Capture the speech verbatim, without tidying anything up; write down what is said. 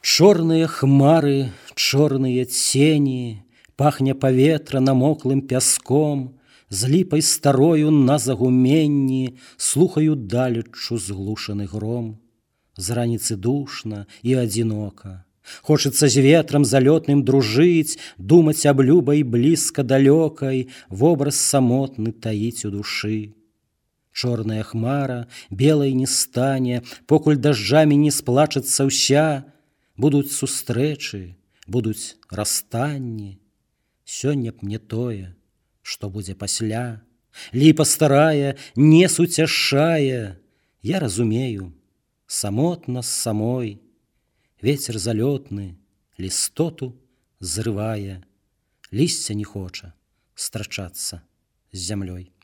Чорныя хмары, чорныя цені, пахне паветра намоклым пяском, з ліпай старою на загуменні слухаю далеччу зглушаны гром. З раніцы душна і адзінока. Хочацца з ветрам залётным дружыць, думаць аб любай блізка далёкай, вобраз самотны таіць у душы. Чорная хмара белай не стане, покуль дажджамі не сплачацца ўся. Будуць сустрэчы, будуць расстанні. Сёння б не тое, што будзе пасля. Ліпа старая не суцяшае. Я разумею, самотна з самой. Вецер залётны лістоту зрывае. Лісце не хоча страчацца з зямлёй.